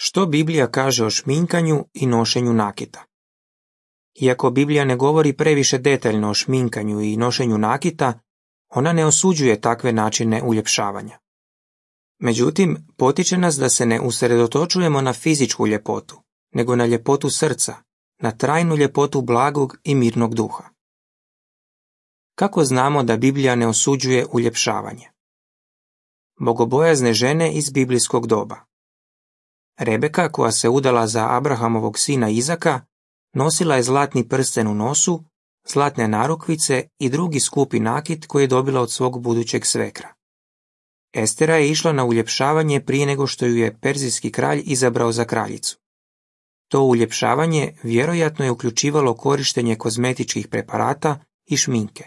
Što Biblija kaže o šminkanju i nošenju nakita? Iako Biblija ne govori previše detaljno o šminkanju i nošenju nakita, ona ne osuđuje takve načine uljepšavanja. Međutim, potiče nas da se ne usredotočujemo na fizičku ljepotu, nego na ljepotu srca, na trajnu ljepotu blagog i mirnog duha. Kako znamo da Biblija ne osuđuje uljepšavanje? Bogobojazne žene iz biblijskog doba. Rebeka, koja se udala za Abrahamovog sina Izaka, nosila je zlatni prsten u nosu, zlatne narukvice i drugi skupi nakit koji je dobila od svog budućeg svekra. Estera je išla na uljepšavanje prije nego što ju je perzijski kralj izabrao za kraljicu. To uljepšavanje vjerojatno je uključivalo korištenje kozmetičkih preparata i šminke.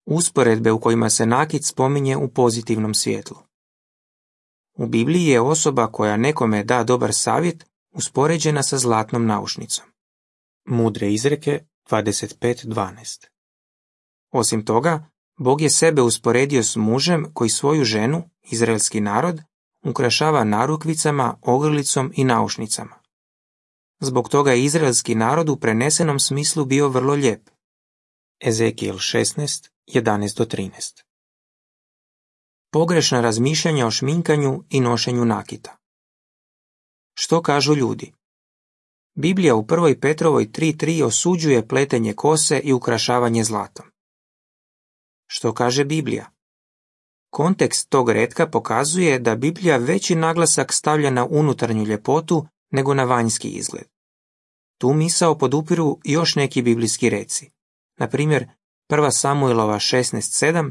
Usporedbe u kojima se nakit spominje u pozitivnom svjetlu. U Bibliji je osoba koja nekome da dobar savjet uspoređena sa zlatnom naušnicom. Mudre izreke 25.12. Osim toga, Bog je sebe usporedio s mužem koji svoju ženu, izraelski narod, ukrašava narukvicama, ogrlicom i naušnicama. Zbog toga je izraelski narod u prenesenom smislu bio vrlo lijep. Ezekijel 16.11-13. Pogrešna razmišljanja o šminkanju i nošenju nakita. Što kažu ljudi? Biblija u 1. Petrovoj 3.3 osuđuje pletenje kose i ukrašavanje zlatom. Što kaže Biblija? Kontekst tog retka pokazuje da Biblija veći naglasak stavlja na unutarnju ljepotu nego na vanjski izgled. Tu misao podupiru još neki biblijski reci. Na primjer, 1. Samuelova 16.7,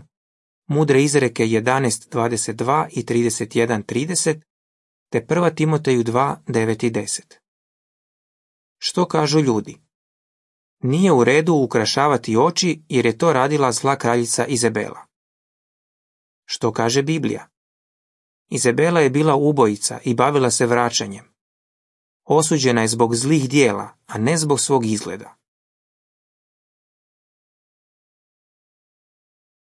Mudre izreke 11.22 i 31.30, te 1. Timoteju 2.9 i 10. Što kažu ljudi? Nije u redu ukrašavati oči jer je to radila zla kraljica Izabela. Što kaže Biblija? Izabela je bila ubojica i bavila se vraćanjem. Osuđena je zbog zlih dijela, a ne zbog svog izgleda.